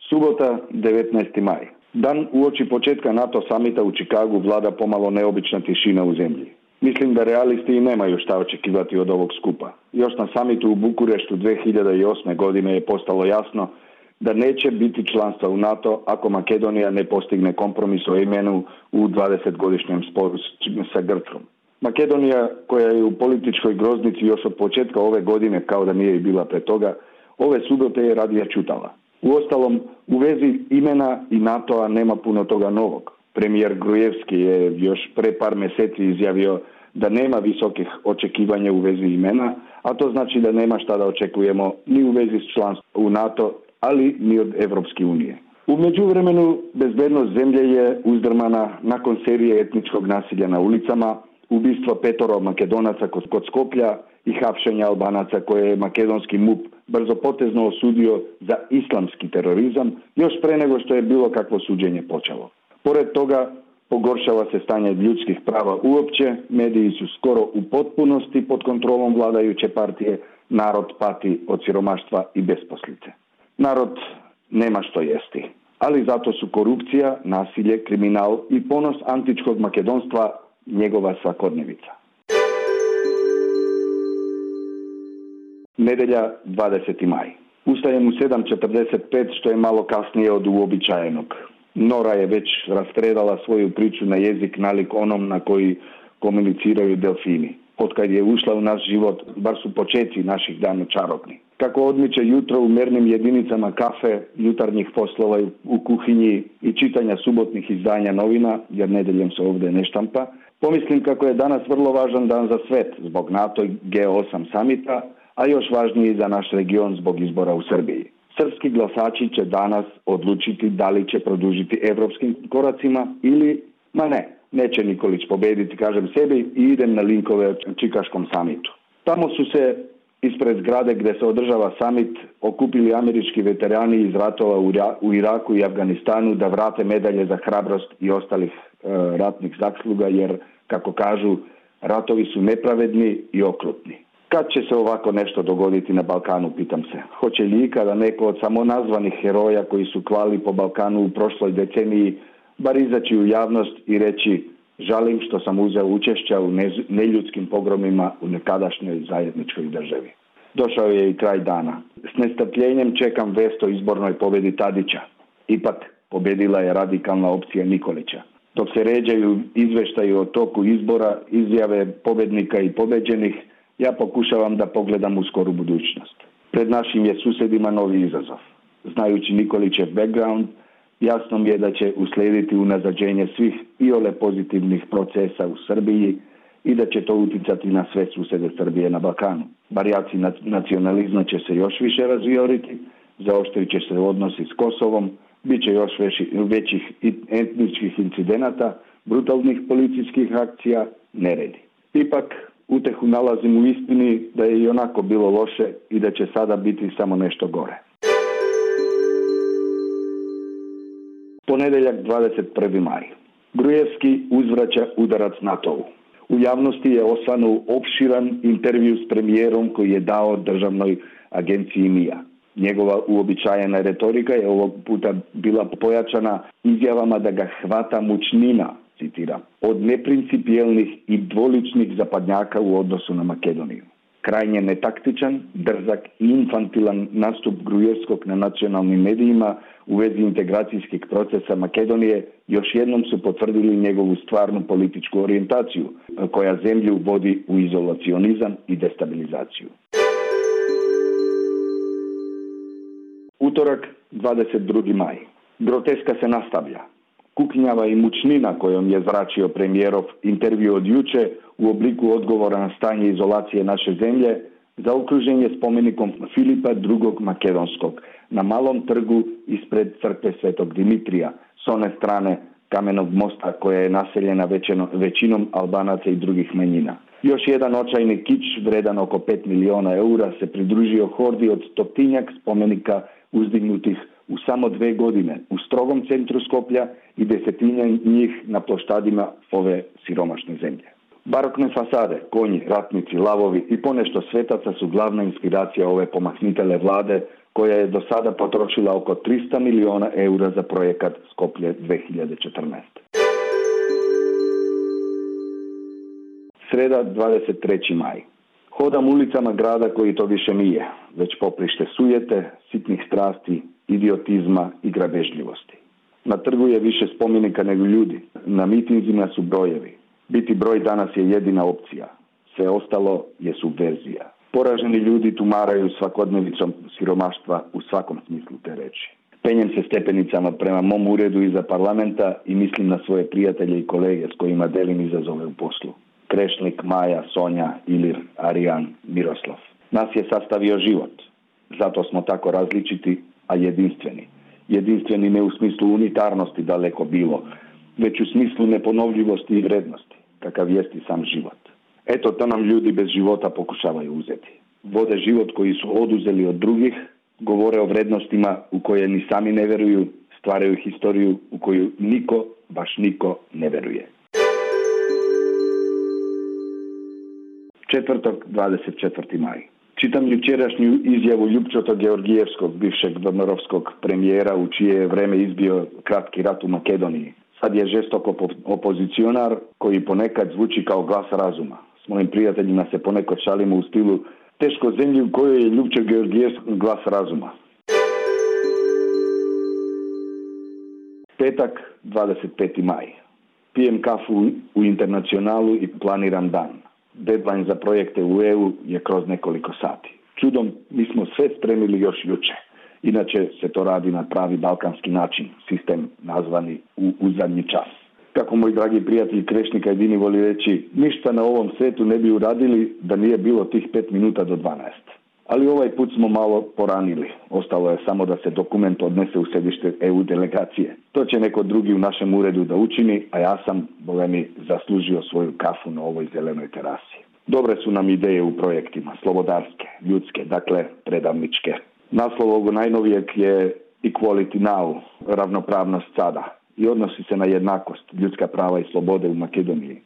Subota, 19. maj. Dan uoči početka NATO samita u Čikagu vlada pomalo neobična tišina u zemlji. Mislim da realisti i nemaju šta očekivati od ovog skupa. Još na samitu u Bukureštu 2008. godine je postalo jasno da neće biti članstva u NATO ako Makedonija ne postigne kompromis o imenu u 20-godišnjem sporu sa Grčkom. Makedonija, koja je u političkoj groznici još od početka ove godine, kao da nije bila pre toga, ove subote je radije čutala. Uostalom, u vezi imena i NATO-a nema puno toga novog. Premijer Grujevski je još pre par mjeseci izjavio da nema visokih očekivanja u vezi imena, a to znači da nema šta da očekujemo ni u vezi s članstvom u NATO, ali ni od Evropske unije. U međuvremenu, bezbednost zemlje je uzdrmana nakon serije etničkog nasilja na ulicama, ubistva 5 Makedonaca kod Skoplja i hapšenja Albanaca koje je makedonski MUP brzopotezno osudio za islamski terorizam još pre nego što je bilo kakvo suđenje počelo. Pored toga, pogoršava se stanje ljudskih prava uopće, mediji su skoro u potpunosti pod kontrolom vladajuće partije, narod pati od siromaštva i besposlice. Narod nema što jesti, ali zato su korupcija, nasilje, kriminal i ponos antičkog makedonstva njegova svakodnevica. Nedelja, 20. maj. Ustajem u 7:45, što je malo kasnije od uobičajenog. Nora je već rastredala svoju priču na jezik nalik onom na koji komuniciraju delfini. Otkad je ušla u naš život, bar su počeci naših dana čarobni. Kako odmiče jutro u mernim jedinicama kafe, jutarnjih poslova u kuhinji i čitanja subotnih izdanja novina, jer nedeljom se ovdje ne štampa, pomislim kako je danas vrlo važan dan za svet zbog NATO i G8 samita, a još važniji za naš region zbog izbora u Srbiji. Srpski glasači će danas odlučiti da li će produžiti evropskim koracima ili, neće Nikolić pobediti, kažem sebi, i idem na linkove o Čikaškom samitu. Tamo su se ispred zgrade gdje se održava samit okupili američki veterani iz ratova u Iraku i Afganistanu da vrate medalje za hrabrost i ostalih ratnih zasluga, jer, kako kažu, ratovi su nepravedni i okrutni. Kad će se ovako nešto dogoditi na Balkanu, pitam se. Hoće li ikada neko od samonazvanih heroja koji su klali po Balkanu u prošloj deceniji bar izaći u javnost i reći: žalim što sam uzeo učešća u neljudskim pogromima u nekadašnjoj zajedničkoj državi. Došao je i kraj dana. S nestrpljenjem čekam vest o izbornoj pobjedi Tadića. Ipak, pobjedila je radikalna opcija Nikolića. Dok se ređaju izveštaji o toku izbora, izjave pobjednika i pobeđenih, ja pokušavam da pogledam u skoru budućnost. Pred našim je susjedima novi izazov. Znajući Nikolićev background, jasno mi je da će uslijediti unazađenje svih iole pozitivnih procesa u Srbiji i da će to uticati na sve susjede Srbije na Balkanu. Varijaci nacionalizma će se još više razvioriti, zaoštrit će se odnosi s Kosovom, bit će još većih etničkih incidenata, brutalnih policijskih akcija, neredi. Ipak, utehu nalazim u istini da je i onako bilo loše i da će sada biti samo nešto gore. Ponedeljak, 21. maj. Grujevski uzvraća udarac NATO-u. U javnosti je osvanuo opširan intervju s premijerom koji je dao državnoj agenciji MIA. Njegova uobičajena retorika je ovog puta bila pojačana izjavama da ga hvata mučnina, citiram, od neprincipijelnih i dvoličnih zapadnjaka u odnosu na Makedoniju. Krajnje netaktičan, drzak i infantilan nastup Grujevskog na nacionalnim medijima u vezi integracijskih procesa Makedonije još jednom su potvrdili njegovu stvarnu političku orijentaciju, koja zemlju vodi u izolacionizam i destabilizaciju. Utorak, 22. maj. Groteska se nastavlja. Kuknjava i mučnina kojom je zračio premijerov intervju od juče u obliku odgovora na stanje izolacije naše zemlje zaokružen je spomenikom Filipa II. Makedonskog na malom trgu ispred crkve Svetog Dimitrija s one strane Kamenog mosta koja je naseljena većinom Albanaca i drugih manjina. Još jedan očajni kič vredan oko 5 miliona eura se pridružio hordi od 100 spomenika uzdignutih u samo 2 godine u strogom centru Skoplja i 10 njih na ploštadima ove siromašne zemlje. Barokne fasade, konji, ratnici, lavovi i ponešto svetaca su glavna inspiracija ove pomahnitele vlade koja je do sada potrošila oko 300 milijuna eura za projekat Skoplje 2014. Sreda, 23. maj. Hodam ulicama grada koji to više nije, već poprište sujete, sitnih strasti, idiotizma i grabežljivosti. Na trgu je više spomenika nego ljudi, na mitinzima su brojevi. Biti broj danas je jedina opcija, sve ostalo je subverzija. Poraženi ljudi tumaraju svakodnevicom siromaštva u svakom smislu te reči. Penjem se stepenicama prema mom uredu iza parlamenta i mislim na svoje prijatelje i kolege s kojima delim izazove u poslu. Krešnik, Maja, Sonja, Ilir, Arijan, Miroslav. Nas je sastavio život. Zato smo tako različiti, a jedinstveni. Jedinstveni ne u smislu unitarnosti daleko bilo, već u smislu neponovljivosti i vrednosti, kakav jest i sam život. Eto, to nam ljudi bez života pokušavaju uzeti. Vode život koji su oduzeli od drugih, govore o vrednostima u koje ni sami ne veruju, stvaraju historiju u koju niko, baš niko ne veruje. Četvrtak, 24. maj. Čitam jučerašnju izjavu Ljupčota Georgijevskog, bivšeg Dodmorovskog premijera, u čije je vreme izbio kratki rat u Makedoniji. Sad je žestok opozicionar koji ponekad zvuči kao glas razuma. S mojim prijateljima se ponekad šalimo u stilu teško zemlji u kojoj je Ljupčo Georgijevski glas razuma. Petak, 25. maj. Pijem kafu u Internacionalu i planiram dan. Deadline za projekte u EU je kroz nekoliko sati. Čudom, mi smo sve spremili još juče. Inače se to radi na pravi balkanski način, sistem nazvani u zadnji čas. Kako moj dragi prijatelj Krešnika jedini voli reći, ništa na ovom svetu ne bi uradili da nije bilo tih 5 minuta do 12. Ali ovaj put smo malo poranili. Ostalo je samo da se dokument odnese u središte EU delegacije. To će neko drugi u našem uredu da učini, a ja sam, boga mi, zaslužio svoju kafu na ovoj zelenoj terasi. Dobre su nam ideje u projektima, slobodarske, ljudske, dakle predavničke. Naslov ovog najnovijeg je Equality Now, ravnopravnost sada, i odnosi se na jednakost, ljudska prava i slobode u Makedoniji.